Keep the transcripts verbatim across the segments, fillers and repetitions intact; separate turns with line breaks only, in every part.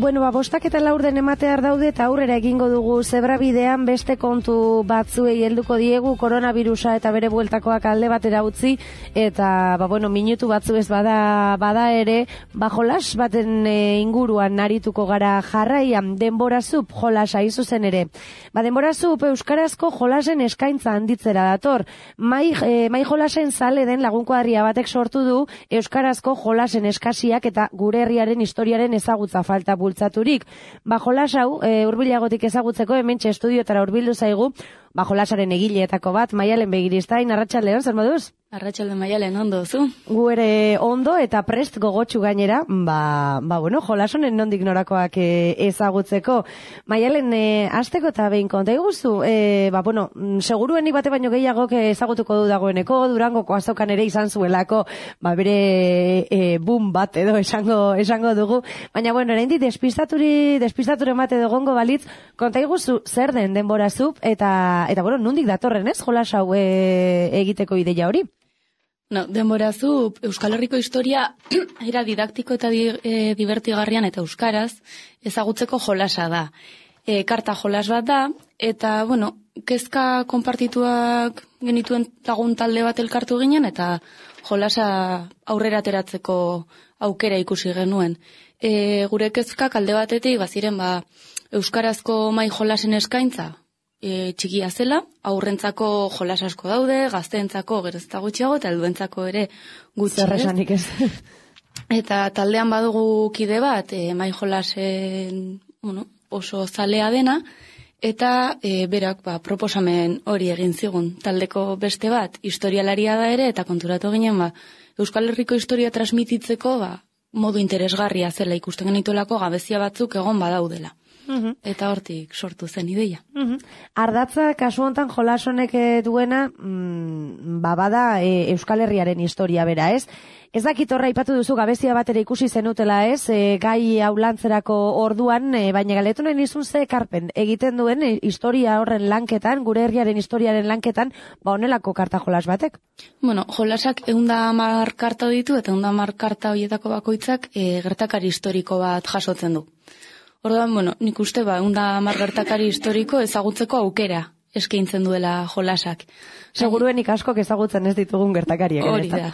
Bueno, ba, bostak eta laurden ematear daude eta aurrera egingo dugu zebra bidean beste kontu batzuei helduko diegu koronavirusa eta bere bueltakoak alde batera utzi eta, ba, bueno, minutu batzu ez bada, bada ere, ba, jolas baten e, inguruan narituko gara jarraian denborazup jolasa izuzen ere. Ba, denborazup euskarazko jolasen eskaintza handitzera dator. Mai, e, mai jolasen zale den lagunkoadria batek sortu du euskarazko jolasen eskasiak eta gure herriaren historiaren ezagutza falta bultzaturik. Ba, jolas hau, e, hurbilagotik ezagutzeko hementxe estudiotara hurbildu zaigu, ba, jolasaren egileetako bat, Maialen Begiristain, arratsaldeon, zer moduz?
Arratsalde Maialen, ondo, zu?
Gu ere ondo eta prest gogotsu gainera, ba, ba bueno, jolasonen nondik norakoak e, ezagutzeko. Maialen, e, azteko eta behin konta iguzu, e, ba, bueno, segurueni bate baino gehiago ezagutuko du dagoeneko, Durangoko azokan ere izan zuelako, ba, bere e, boom bat edo esango, esango dugu, baina, bueno, eraindik despistaturi, despistature emate dogongo balitz, konta iguzu zer den denborazup, eta, eta, bueno, nondik datorren ez, jolas hau e, egiteko ideia hori?
No, denborazu, Euskal Herriko historia era didaktiko eta di, e, divertigarrian eta euskaraz ezagutzeko jolasa da. E, karta jolas bat da, eta, bueno, kezka konpartituak genituen lagun talde bat elkartu ginen, eta jolasa aurrera ateratzeko aukera ikusi genuen. E, gure kezkak alde batetik, baziren, ba, euskarazko mai jolasen eskaintza, E, txikia zela, aurrentzako jolas asko daude, gazteentzako gerozta gutxiago eta helduentzako ere
gutxi ez.
Eta taldean badugu kide bat, e, mai jolasen, bueno, oso zalea dena, eta e, berak ba, proposamen hori egin zigun. Taldeko beste bat, historialaria da ere, eta konturatu ginen, ba, Euskal Herriko historia transmititzeko ba, modu interesgarria zela ikusten genituelako gabezia batzuk egon badaudela. Uhum. Eta hortik sortu zen ideia.
Uhum. Ardatza, kasu hontan jolasonek duena, mm, babada e, Euskal Herriaren historia bera, ez? Ez dakit horra ipatu duzu gabezia bat ere ikusi zenutela, ez? E, gai hau lantzerako orduan, e, baina galetu nahi nizun ze ekarpen egiten duen e, historia horren lanketan, gure herriaren historiaren lanketan, ba honelako karta jolas batek?
Bueno, jolasak eunda hamar karta ditu, eta eunda hamar karta horietako bakoitzak e, gertakari historiko bat jasotzen du. Orduan, bueno, nik uste ba, eunda hamar gertakari historiko ezagutzeko aukera eskaintzen duela jolasak.
Seguruenik askok ezagutzen ez ditugun gertakariak.
Hori da.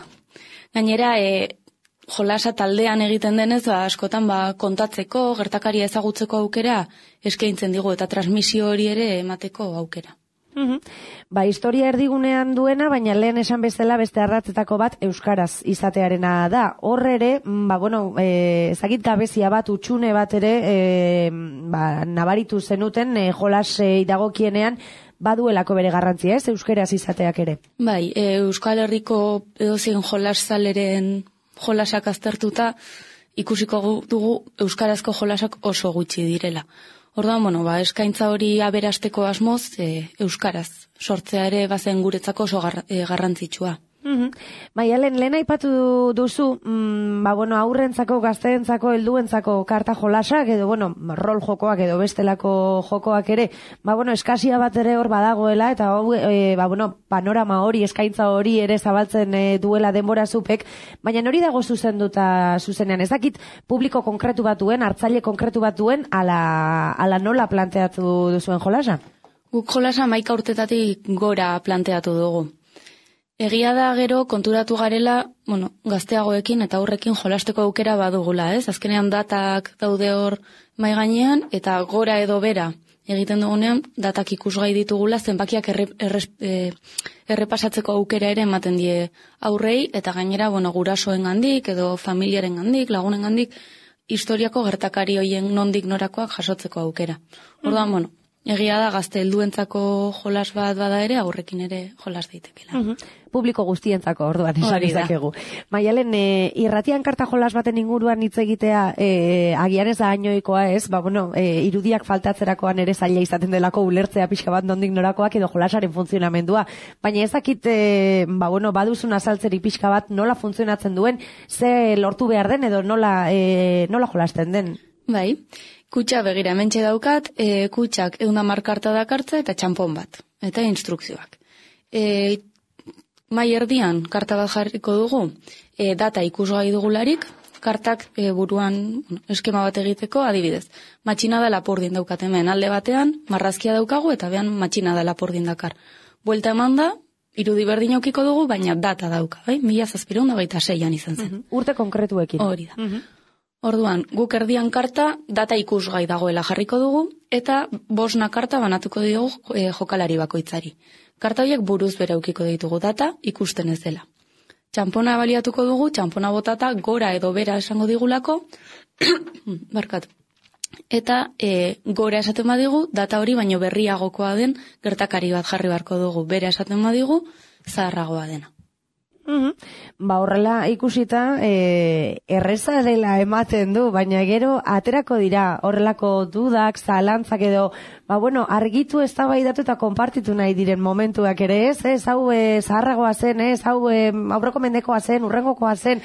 Gainera, e, jolasa taldean egiten denez, ba, askotan ba, kontatzeko, gertakaria ezagutzeko aukera eskaintzen digu, eta transmisio hori ere emateko aukera.
Uhum. Ba, historia erdigunean duena, baina lehen esan bezala beste ardatzetako bat euskaraz izatearena da. Horre ere, ba, bueno, e, ezagit gabezia bat, utxune bat ere, e, ba, nabaritu zenuten, e, jolas e, idagokienean, baduelako bere garrantzia, ez, euskaraz izateak ere.
Bai, e, Euskal Herriko edozein jolas zaleren jolasak aztertuta, ikusiko dugu euskarazko jolasak oso gutxi direla. Orduan, bueno, ba, eskaintza hori aberasteko asmoz, e, euskaraz sortzea ere bazen guretzako oso gar, e, garrantzitsua.
Mm-hmm. Maialen, lehen aipatu duzu, mm, ba, bueno, aurrentzako, gazteentzako, helduentzako karta jolasak, edo, bueno, rol jokoak edo bestelako jokoak ere, ba, bueno, eskasia bat ere hor badagoela, eta, e, ba, bueno, panorama hori, eskaintza hori ere zabaltzen e, duela denbora zupek, baina hori dago zuzenduta zuzenean, ez dakit publiko konkretu batuen, hartzaile konkretu batuen, ala, ala nola planteatu duzuen jolasa?
Guk jolasa maika urtetatik gora planteatu dugu. Egia da gero konturatu garela, bueno, gazteagoekin eta aurrekin jolasteko aukera badugula, ez? Azkenean datak daude hor mai gainean eta gora edo bera egiten dugunean datak ikusgai ditugula zenbakiak erre, erre, errepasatzeko aukera ere ematen die aurrei eta gainera, bueno, gurasoengandik edo familiarengandik, lagunengandik historiako gertakari hoien nondik norakoak jasotzeko aukera. Orduan, mm-hmm. bueno, egia da gazte helduentzako jolas bat bada ere, aurrekin ere jolas daitekela.
Mm-hmm. Publiko guztientzako orduan esan izakegu. Maialen, e, irratian karta jolas baten inguruan hitz egitea e, agian ez da hainoikoa ez, ba, bueno, e, irudiak faltatzerakoan ere zaila izaten delako ulertzea pixka bat nondik norakoak edo jolasaren funtzionamendua. Baina ezakit, e, ba, bueno, baduzun azaltzeri pixka bat nola funtzionatzen duen, ze lortu behar den edo nola, e, nola jolasten den?
Bai, kutxa begira mentxe daukat, e, kutxak eunda markarta dakartza eta txampon bat, eta instrukzioak. E, mai erdian karta bat jarriko dugu, e, data ikusgai dugularik, kartak e, buruan bueno, eskema bat egiteko, adibidez. Matxina da lapurdin daukat hemen, alde batean, marrazkia daukagu, eta behan matxina da lapurdin dakar. Buelta eman da, irudi berdin aukiko dugu, baina data dauka, bai? Mila zazpireun da baita seian izan zen.
Uh-huh. Urte konkretuekin.
Hori da. Uh-huh. Orduan, guk erdian karta, data ikusgai dagoela jarriko dugu, eta bosna karta banatuko diogu e, jokalari bakoitzari. Karta horiek buruz bere aukiko ditugu data, ikusten ez dela. Txampona baliatuko dugu, txampona botata gora edo bera esango digulako, barkatu. Eta e, gora esaten badigu, data hori baino berriagokoa den gertakari bat jarri beharko dugu. Bera esaten badigu, zaharragoa dena.
Mm-hmm. Ba horrela ikusita e, erreza dela ematen du, baina gero aterako dira horrelako dudak, zalantzak edo, ba bueno, argitu eztabaidatu eta konpartitu nahi diren momentuak ere ez, ez hau e, zaharragoa zen, ez hau e, aurreko mendekoa zen, urrengokoa zen,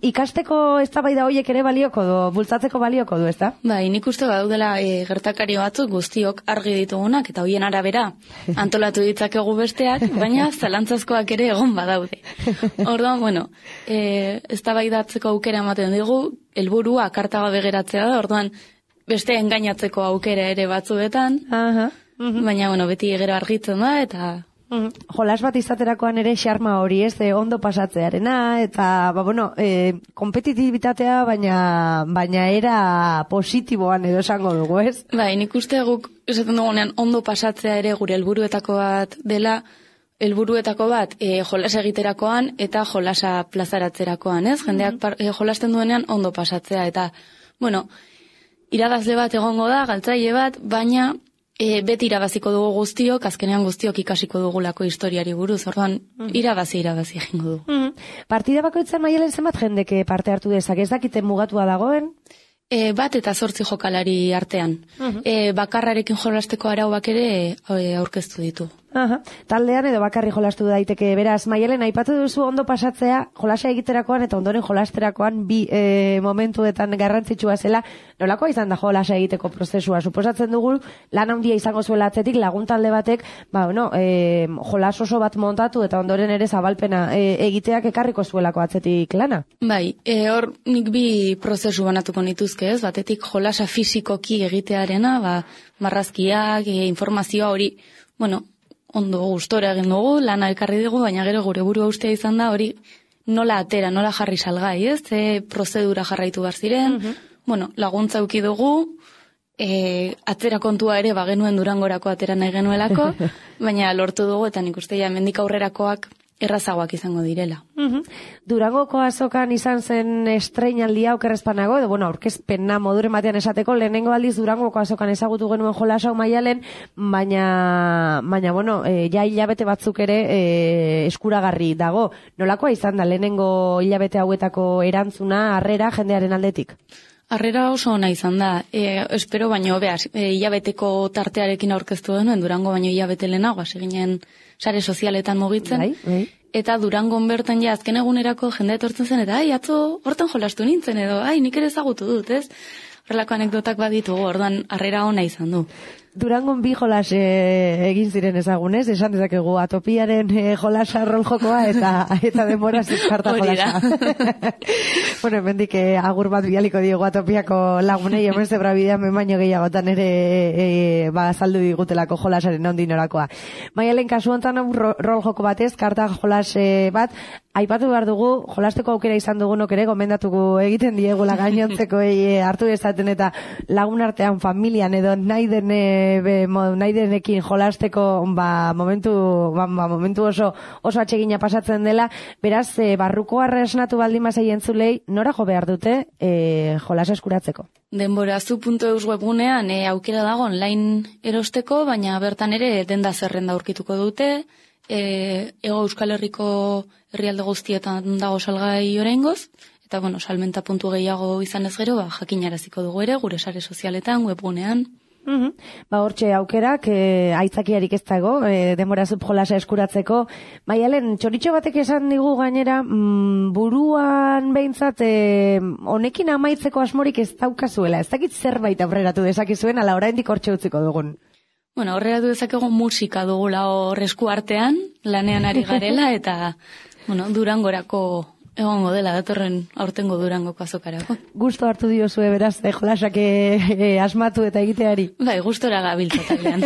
ikasteko eztabaida horiek ere balioko du, bultzatzeko balioko du, ezta?
Bai, nik uste daudela e, gertakari batzuk guztiok argi ditugunak eta hoien arabera antolatu ditzakegu besteak, baina zalantzazkoak ere egon badaude. Orduan, bueno, e, eztabaidatzeko aukera ematen digu, helburua karta gabe geratzea da, orduan beste engainatzeko aukera ere batzuetan,
Aha. Uh-huh.
baina, bueno, beti gero argitzen da, eta...
Uh-huh. Jolas bat izaterakoan ere xarma hori, ez, e, ondo pasatzearena, eta, ba, bueno, e, kompetitibitatea, baina, baina era positiboan edo esango dugu, ez?
Bai, nik uste guk, esaten dugunean, ondo pasatzea ere gure helburuetako bat dela, helburuetako bat e, jolas egiterakoan eta jolasa plazaratzerakoan, ez? Jendeak par, e, jolasten duenean ondo pasatzea, eta, bueno, irabazle bat egongo da, galtzaile bat, baina e, beti irabaziko dugu guztiok, azkenean guztiok ikasiko dugulako historiari buruz, orduan irabazi irabazi egingo dugu.
Mm-hmm. Partida bakoitzan Maialen zenbat jendeke parte hartu dezak, ez dakiten mugatua dagoen?
E, bat eta zortzi jokalari artean. Uh-huh. E, bakarrarekin jolasteko arauak ere e, aurkeztu ditu.
Aha. Taldean edo bakarri jolastu daiteke, beraz, Maialen, aipatu duzu ondo pasatzea, jolasa egiterakoan eta ondoren jolasterakoan bi e, momentuetan garrantzitsua zela, nolakoa izan da jolasa egiteko prozesua? Suposatzen dugu, lan handia izango zuela atzetik, lagun talde batek, ba, bueno, e, jolas oso bat montatu eta ondoren ere zabalpena e, egiteak ekarriko zuelako atzetik lana?
Bai, e, hor nik bi prozesu banatuko nituzke, ez? Batetik jolasa fisikoki egitearena, ba, marrazkiak, e, informazioa hori, bueno, ondo gustora egin dugu, lana elkarri dugu, baina gero gure burua ustea izan da hori nola atera, nola jarri salgai, ez? Ze prozedura jarraitu behar ziren, uh-huh. bueno, laguntza uki dugu, e, atzera kontua ere bagenuen Durangorako atera nahi genuelako, baina lortu dugu eta nik uste ja hemendik aurrerakoak errazagoak izango direla.
Uh-huh. Durangoko azokan izan zen estreinaldia okerrezpanago, edo, bueno, aurkezpena moduren batean esateko, lehenengo aldiz Durangoko azokan ezagutu genuen jolasau Maialen, baina, baina, bueno, e, ja hilabete batzuk ere e, eskuragarri dago. Nolakoa izan da lehenengo hilabete hauetako erantzuna, harrera jendearen aldetik?
Harrera oso ona izan da, e, espero baino, behaz, e, hilabeteko tartearekin aurkeztu denuen, Durango baino hilabete lehenago, hasi ginen sare sozialetan mugitzen,
bai, bai.
Eta Durangon bertan ja azken egunerako jende etortzen zen, eta ai, atzo hortan jolastu nintzen, edo ai, nik ere ezagutu dut, ez? Horrelako anekdotak baditugu, orduan harrera ona izan du.
Durangon bi jolas e, egin ziren ezagunez, esan dezakegu atopiaren e, jolasa rol jokoa eta eta denbora zizkarta jolasa. Bueno, hemendik e, agur bat bialiko diego atopiako lagunei, hemen zebra bidean baino gehiagotan ere e, ba, azaldu digutelako jolasaren ondinorakoa. Maialen kasu honetan rol joko batez, karta jolas e, bat, aipatu behar dugu, jolasteko aukera izan dugunok ere, gomendatuko egiten diegula gainontzeko e, hartu dezaten eta lagun artean familian edo nahi den e, Be, nahi denekin jolasteko ba, momentu, ba, ba, momentu oso, oso atsegina pasatzen dela, beraz, e, barruko arresnatu baldin mazai entzulei, nora jo behar dute e, jolasa eskuratzeko?
Denborazu puntu eus webgunean e, aukera dago online erosteko, baina bertan ere denda zerrenda aurkituko dute, e, Ego Euskal Herriko herrialde guztietan dago salgai oraingoz, eta bueno, salmenta puntu gehiago izan ez gero, ba, jakinaraziko dugu ere, gure sare sozialetan, webgunean.
Uhum. Ba, hortxe aukerak, e, aitzakiarik ez dago, e, denbora subjolasa eskuratzeko. Maialen, txoritxo batek esan digu gainera, mm, buruan behintzat, e, honekin amaitzeko asmorik ez daukazuela. Ez dakit zerbait aurreratu dezakizuen, ala oraindik hortxe utziko dugun.
Bueno, aurreratu dezakegu musika dugula hor esku artean, lanean ari garela, eta, bueno, Durangorako egongo dela datorren aurtengo Durangoko azokarako.
Gusto hartu diozue beraz, eh, jolasak eh, asmatu eta egiteari.
Bai, gustora gabiltza taldean.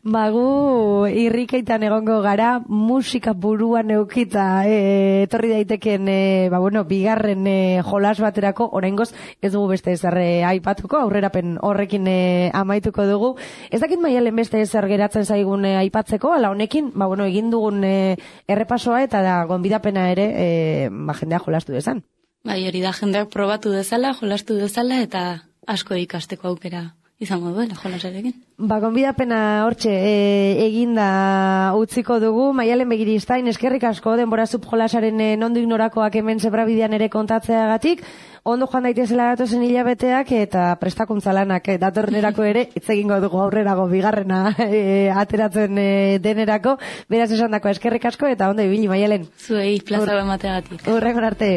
Ba, gu irrikaitan egongo gara, musika buruan eukita eh, etorri daiteken eh, ba, bueno, bigarren eh, jolas baterako, oraingoz ez dugu beste ezarre aipatuko, aurrerapen horrekin eh, amaituko dugu. Ez dakit Maialen beste ezer geratzen zaigun eh, aipatzeko, ala honekin, ba, bueno, egin dugun eh, errepasoa eta da gonbidapena ere eh, ba, jendea jolastu dezan.
Bai, hori da jendeak probatu dezala, jolastu dezala eta asko ikasteko aukera izango duela jolasarekin.
Ba, gonbidapena hortxe e, eginda utziko dugu. Maialen Begiristain, eskerrik asko denbora subjolasaren e, nondik norakoak hemen zebrabidean ere kontatzeagatik. Ondo joan daitezela datozen hilabeteak eta prestakuntza lanak e, datornerako ere hitz egingo dugu aurrerago bigarrena e, ateratzen e, denerako. Beraz esandako eskerrik asko eta ondo ibili Maialen.
Zuei plaza emateagatik.
Hurrengo arte.